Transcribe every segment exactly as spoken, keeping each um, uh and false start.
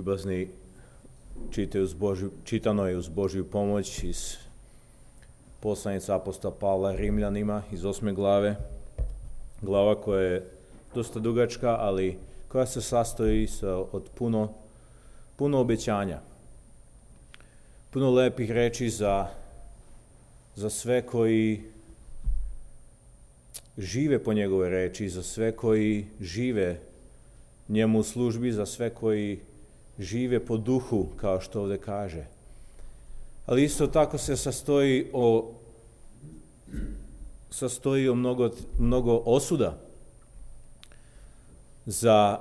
ljubazni, uz Božju, čitano je uz Božju pomoć iz poslanice apostola Pavla Rimljanima iz osme glave. Glava koja je dosta dugačka, ali koja se sastoji od puno, puno obećanja. Puno lepih reči za, za sve koji žive po njegove reči, za sve koji žive njemu u službi, za sve koji žive po duhu, kao što ovdje kaže. Ali isto tako se sastoji o, sastoji o mnogo, mnogo osuda za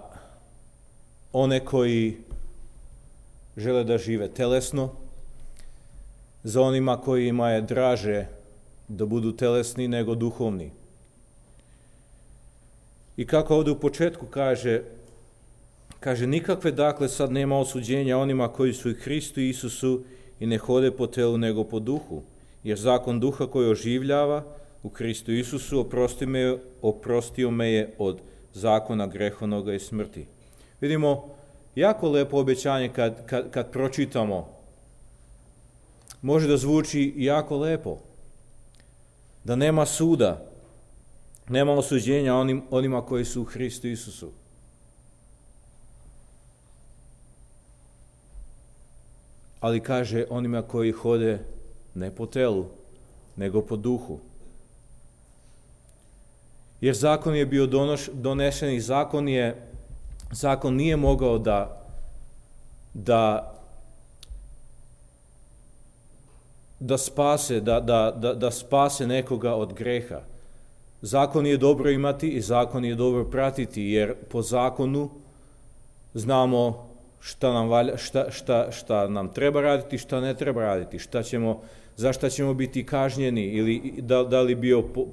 one koji žele da žive telesno, za onima kojima je draže da budu telesni nego duhovni. I kako ovdje u početku kaže, kaže nikakve dakle sad nema osuđenja onima koji su i Hristu Isusu i ne hode po telu nego po duhu, jer zakon duha koji oživljava u Hristu Isusu oprosti me, oprostio me je od zakona grehovnoga i smrti. Vidimo jako lepo obećanje kad, kad, kad pročitamo. Može da zvuči jako lepo. Da nema suda, nema osuđenja onim, onima koji su u Hristu Isusu. Ali kaže onima koji hode ne po telu, nego po duhu. Jer zakon je bio donoš, donesen i zakon, je, zakon nije mogao da, da, da, spase, da, da, da, da spase nekoga od greha. Zakon je dobro imati i zakon je dobro pratiti, jer po zakonu znamo šta nam, valja, šta, šta, šta nam treba raditi, šta ne treba raditi, šta ćemo, za šta ćemo biti kažnjeni, ili da, da, li bio po,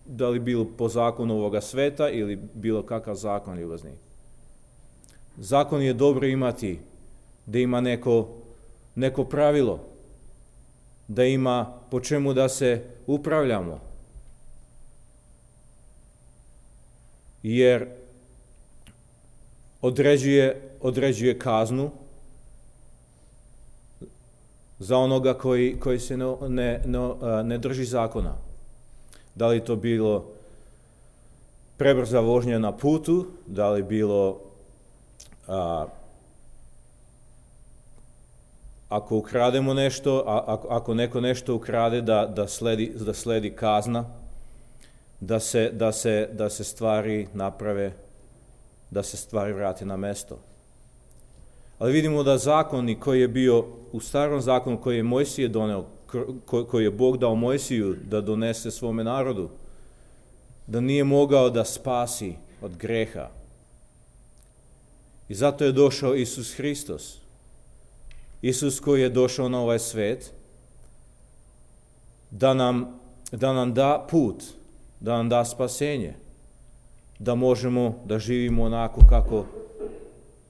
da li bilo po zakonu ovoga sveta ili bilo kakav zakon ljubazni. Zakon je dobro imati, da ima neko, neko pravilo, da ima po čemu da se upravljamo. Jer određuje, određuje kaznu za onoga koji, koji se ne, ne, ne drži zakona. Da li to bilo prebrza vožnja na putu, da li bilo a, ako ukrademo nešto, a, ako, ako neko nešto ukrade, da, da, sledi, da sledi kazna, da se, da, se, da se stvari naprave, da se stvari vrate na mesto. Ali vidimo da zakoni koji je bio u starom zakonu koji je Mojsije doneo, koji je Bog dao Mojsiju da donese svome narodu, da nije mogao da spasi od greha. I zato je došao Isus Hristos. Isus koji je došao na ovaj svet da nam, da nam da put, da nam da spasenje, da možemo da živimo onako kako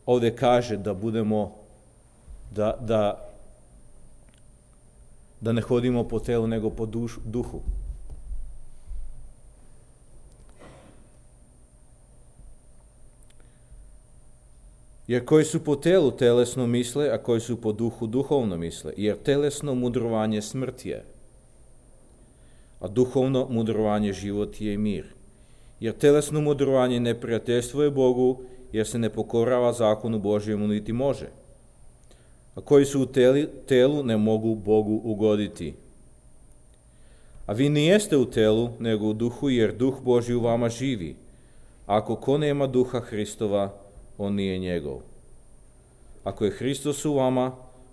ovdje kaže, da budemo, da, da, da ne hodimo po telu nego po duš, duhu. Jer koji su po telu telesno misle, a koji su po duhu duhovno misle. Jer telesno mudrovanje smrt je, a duhovno mudrovanje život je i mir. Jer telesno mudrovanje neprijateljstvo je Bogu, jer se ne pokorava zakonu Božjemu niti može. A koji su u teli, telu ne mogu Bogu ugoditi. A vi nijeste u telu, nego u duhu, jer duh Božji u vama živi. Ako ko nema duha Hristova, on nije njegov. Ako je Hristos u vama,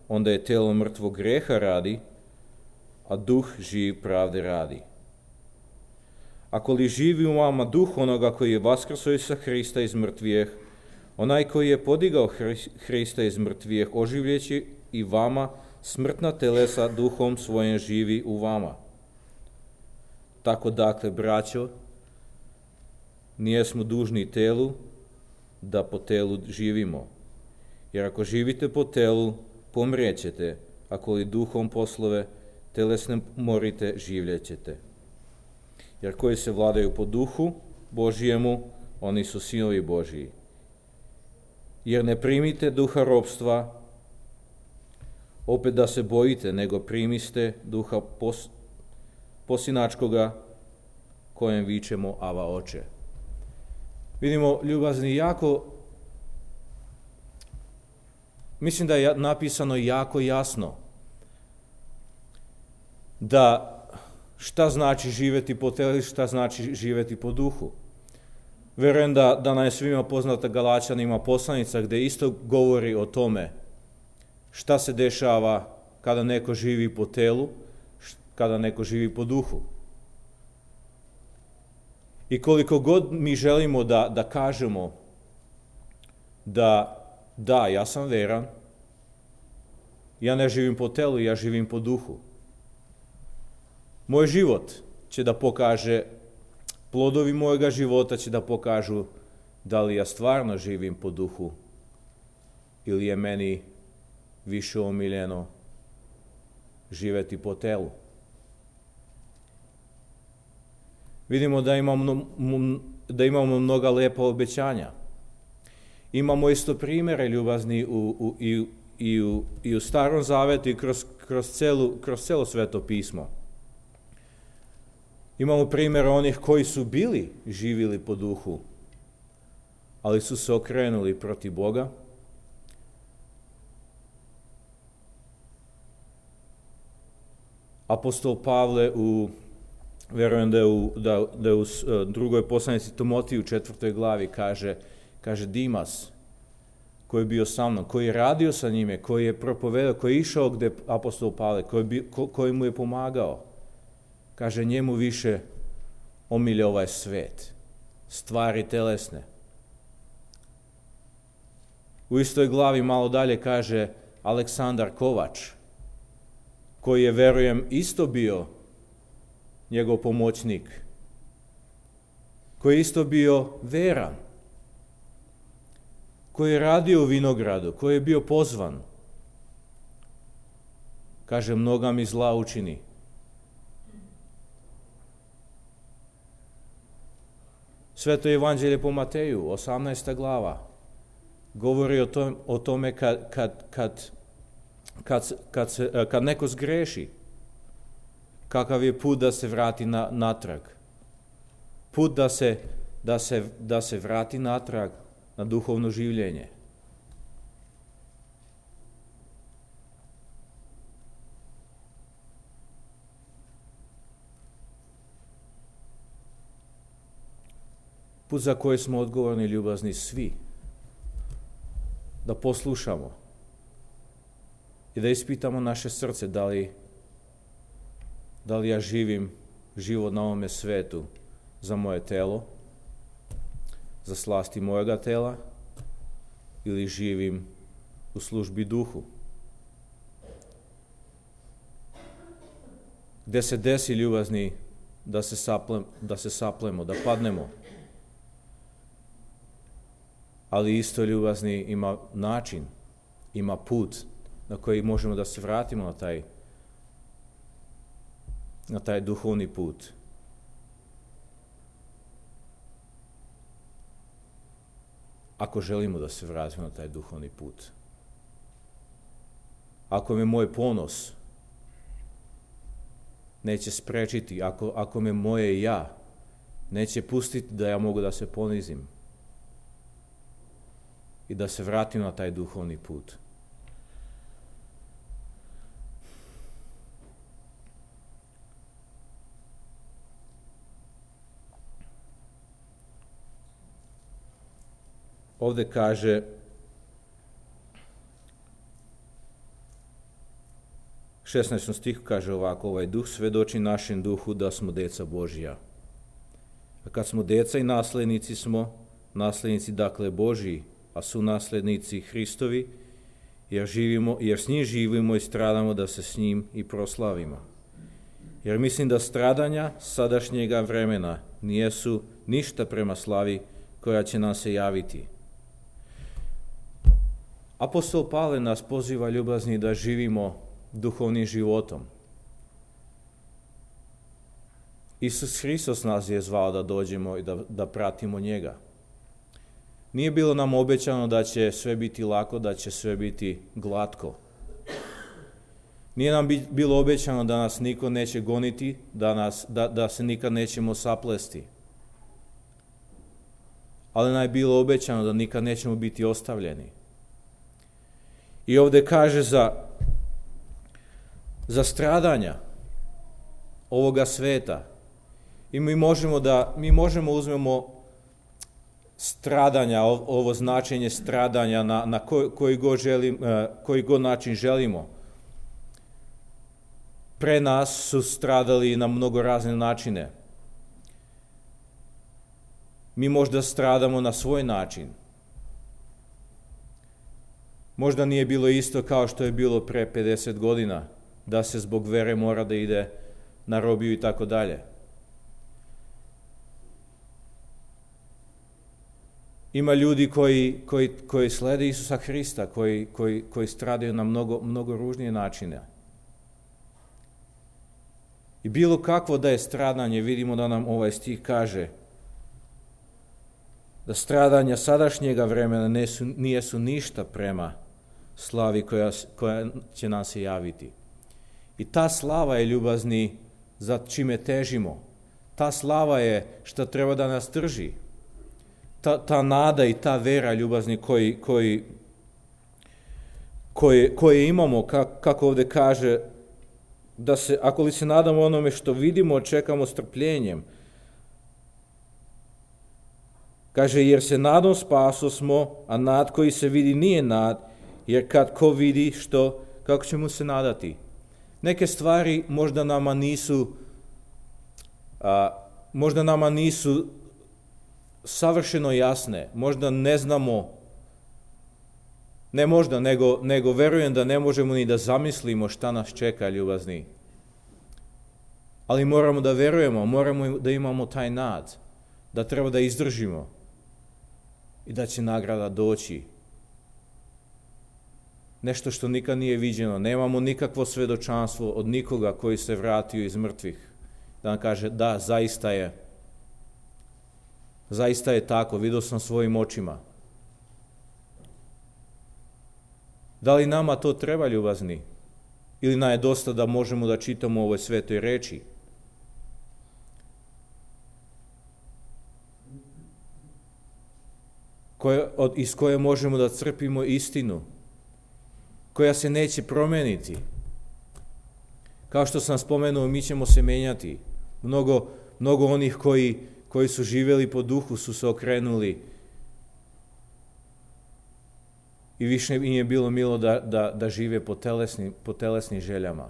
onda je telo mrtvo greha radi, a duh živ pravde radi. Ako li živi u vama duh onoga koji je vaskrsao sa Hrista iz mrtvijeh, onaj koji je podigao Hrista iz mrtvijeh, oživljeći i vama smrtna telesa duhom svojim živi u vama. Tako dakle, braćo, nijesmo dužni telu da po telu živimo. Jer ako živite po telu, pomrijećete, ako li duhom poslove telesne morite, življećete. Jer koji se vladaju po duhu Božijemu, oni su sinovi Božiji. jer ne primite duha ropstva, opet da se bojite, nego primiste duha pos, posinačkoga, kojem vičemo Ava Oče. Vidimo, ljubazni, jako, mislim da je napisano jako jasno da šta znači živjeti po telu, šta znači živjeti po duhu. Vjerujem da, da nam je svima poznata Galačanima poslanica gdje isto govori o tome šta se dešava kada neko živi po telu, kada neko živi po duhu. I koliko god mi želimo da, da kažemo da da, ja sam veran, ja ne živim po telu, ja živim po duhu. Moj život će da pokaže, plodovi mojega života će da pokažu da li ja stvarno živim po duhu ili je meni više omiljeno živjeti po telu. Vidimo da imamo, da imamo mnoga lepa obećanja. Imamo isto primjere ljubazni u, u, i, i, u, i u Starom Zavetu i kroz, kroz, celu, kroz celo Sveto pismo. Imamo primjer onih koji su bili živjeli po duhu, ali su se okrenuli protiv Boga. Apostol Pavle u, vjerujem da je u, da, da je u drugoj poslanici Timotiju u četvrtoj glavi kaže, kaže Dimas, koji je bio sa mnom, koji je radio sa njime, koji je propovedao, koji je išao gdje apostol Pavle, koji, bi, ko, koji mu je pomagao. Kaže, njemu više omilje ovaj svet, stvari telesne. U istoj glavi malo dalje kaže Aleksandar Kovač, koji je, verujem, isto bio njegov pomoćnik, koji je isto bio veran, koji je radio u vinogradu, koji je bio pozvan. Kaže, mnoga mi zla učini. Sveto evanđelje po Mateju, osamnaesta glava, govori o, tom, o tome kad, kad, kad, kad, kad, se, kad neko zgreši, kakav je put da se vrati na, natrag. Put da se, da, se, da se vrati natrag na duhovno življenje. Put za koji smo odgovorni, ljubazni, svi. Da poslušamo i da ispitamo naše srce da li, da li ja živim život na ovome svetu za moje telo, za slasti mojega tela, ili živim u službi duhu. Gde se desi, ljubazni, da se, saplem, da se saplemo, da padnemo. Ali isto, ljubazni, ima način, ima put na koji možemo da se vratimo na taj, na taj duhovni put. Ako želimo da se vratimo na taj duhovni put. Ako me moj ponos neće sprečiti, ako, ako me moje ja neće pustiti da ja mogu da se ponizim i da se vratim na taj duhovni put. Ovdje kaže šesnaestom stihu kaže ovako, ovaj duh svedoči našem duhu da smo deca Božija. A kad smo deca i naslednici smo, naslednici dakle Božiji, a su naslednici Hristovi, jer, živimo, jer s njim živimo i stradamo da se s njim i proslavimo. Jer mislim da stradanja sadašnjega vremena nijesu ništa prema slavi koja će nam se javiti. Apostol Pavle nas poziva, ljubazni, da živimo duhovnim životom. Isus Hristos nas je zvao da dođemo i da, da pratimo njega. Nije bilo nam obećano da će sve biti lako, da će sve biti glatko. Nije nam bilo obećano da nas niko neće goniti, da, nas, da, da se nikad nećemo saplesti. Ali nam je bilo obećano da nikad nećemo biti ostavljeni. I ovdje kaže za, za stradanja ovoga sveta. I mi možemo da, mi možemo uzmemo stradanja, ovo značenje stradanja na, na koji, koji, god želim, koji god način želimo. Pre nas su stradali na mnogo razne načine. Mi možda stradamo na svoj način. Možda nije bilo isto kao što je bilo pre pedeset godina, da se zbog vere mora da ide na robiju i tako dalje. Ima ljudi koji, koji, koji slede Isusa Hrista, koji, koji, koji stradaju na mnogo, mnogo ružnije načine. I bilo kakvo da je stradanje, vidimo da nam ovaj stih kaže da stradanja sadašnjega vremena nisu, nijesu ništa prema slavi koja, koja će nam se javiti. I ta slava je, ljubazni, za čime težimo. Ta slava je što treba da nas drži. Ta, ta nada i ta vera, ljubazni, koji, koji, koje, koje imamo, kako, kako ovdje kaže, da se, ako li se nadamo onome što vidimo, čekamo strpljenjem. Kaže, jer se nadom spaso smo, a nad koji se vidi nije nad, jer kad ko vidi što, kako će mu se nadati. Neke stvari možda nama nisu, a, možda nama nisu savršeno jasne, možda ne znamo, ne možda, nego, nego verujem da ne možemo ni da zamislimo šta nas čeka, ljubazni. Ali moramo da verujemo, moramo da imamo taj nad, da treba da izdržimo i da će nagrada doći. Nešto što nikad nije viđeno, nemamo nikakvo svedočanstvo od nikoga koji se vratio iz mrtvih, da nam kaže da, zaista je, zaista je tako, vidio sam svojim očima. Da li nama to treba, ljubazni? Ili nam je dosta da možemo da čitamo u ovoj svetoj reči? Koje, od, iz koje možemo da crpimo istinu, koja se neće promeniti. Kao što sam spomenuo, mi ćemo se menjati. Mnogo, mnogo onih koji, koji su živjeli po duhu su se okrenuli i više im je bilo milo da, da, da žive po telesnim, po telesnim željama.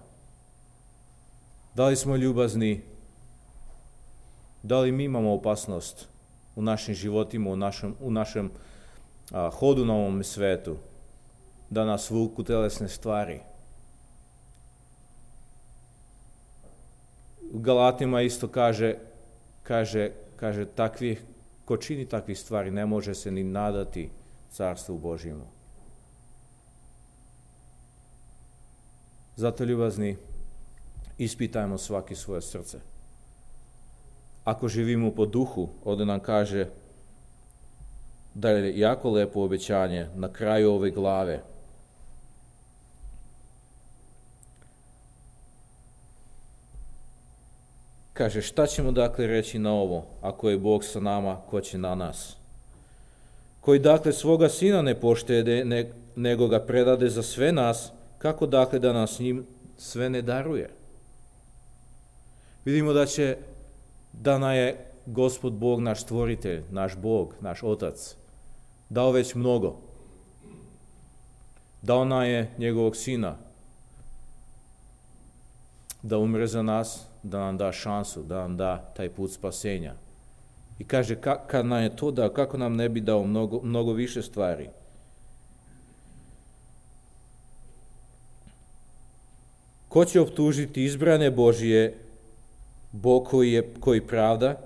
Da li smo ljubazni? Da li mi imamo opasnost u našim životima, u našem, u našem a, hodu na ovom svetu, da nas vuku telesne stvari? U Galatima isto kaže, kaže, kaže takvih, ko čini takvih stvari ne može se ni nadati carstvu Božjemu. Zato, ljubazni, ispitajmo svaki svoje srce. Ako živimo po duhu, ovdje nam kaže da je jako lepo obećanje na kraju ove glave. Kaže, šta ćemo dakle reći na ovo? Ako je Bog sa nama, ko će na nas? Koji dakle svoga sina ne poštede, ne, nego ga predade za sve nas, kako dakle da nas njim sve ne daruje? Vidimo da će, da nam je Gospod Bog, naš stvoritelj, naš Bog, naš Otac, dao već mnogo. Dao nam je njegovog sina da umre za nas, da nam da šansu, da nam da taj put spasenja. I kaže, ka, kad nam je to dao, kako nam ne bi dao mnogo, mnogo više stvari? Ko će optužiti izbrane Božije, Bog koji je koji pravda?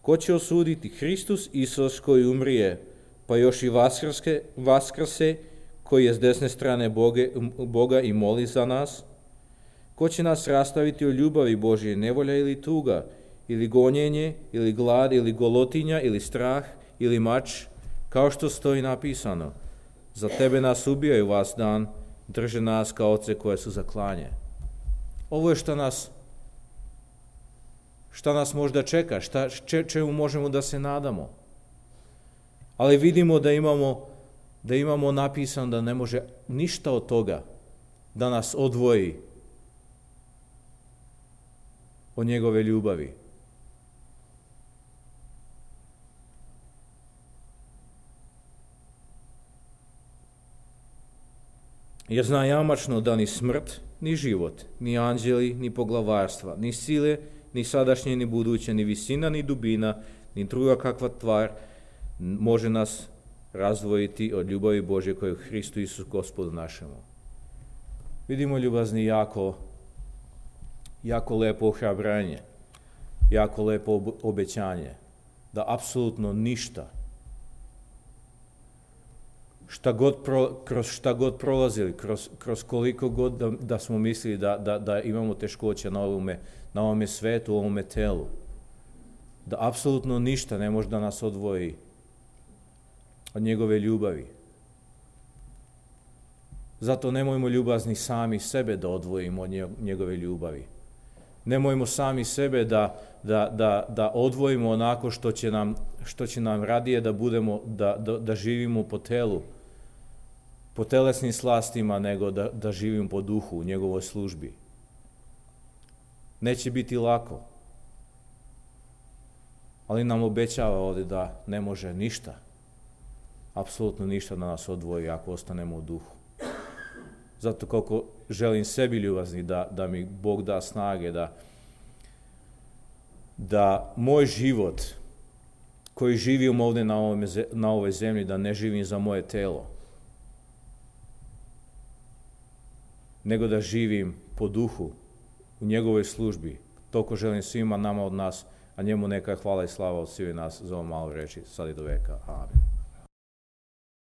Ko će osuditi? Hristus Isus koji umrije, pa još i vaskrske, vaskrse, koji je s desne strane Boge, Boga i moli za nas? Ko će nas rastaviti o ljubavi Božje, nevolja ili tuga, ili gonjenje, ili glad, ili golotinja, ili strah, ili mač? Kao što stoji napisano, za tebe nas ubijaju vas dan, drže nas kao ovce koje su za klanje. Ovo je što nas, šta nas možda čeka, šta, če, čemu možemo da se nadamo. Ali vidimo da imamo, da imamo napisano da ne može ništa od toga da nas odvoji od njegove ljubavi. Jer zna jamačno da ni smrt, ni život, ni anđeli, ni poglavarstva, ni sile, ni sadašnje, ni buduće, ni visina, ni dubina, ni druga kakva tvar može nas razdvojiti od ljubavi Božje koje je u Hristu Isus Gospodu našemu. Vidimo, ljubazni, jako, jako lepo ohrabranje, jako lepo obećanje, da apsolutno ništa, šta god pro, kroz šta god prolazili, kroz, kroz koliko god da, da smo mislili da, da, da imamo teškoće na ovome, na ovome svetu, u ovome telu, da apsolutno ništa ne može da nas odvoji od njegove ljubavi. Zato nemojmo, ljubazni, sami sebe da odvojimo od njegove ljubavi. Nemojmo sami sebe da, da, da, da odvojimo onako što će nam, što će nam radije da budemo, da, da, da živimo po telu, po telesnim slastima, nego da, da živimo po duhu u njegovoj službi. Neće biti lako, ali nam obećava ovdje da ne može ništa, apsolutno ništa da nas odvoji ako ostanemo u duhu. Zato koliko želim sebi, ljubazni, da, da mi Bog da snage, da, da moj život koji živim ovdje na, ovome, na ovoj zemlji, da ne živim za moje telo, nego da živim po duhu u njegovoj službi. Toliko želim svima nama od nas, a njemu neka hvala i slava od svih nas za ovo malo reći, sad i do veka. Amen.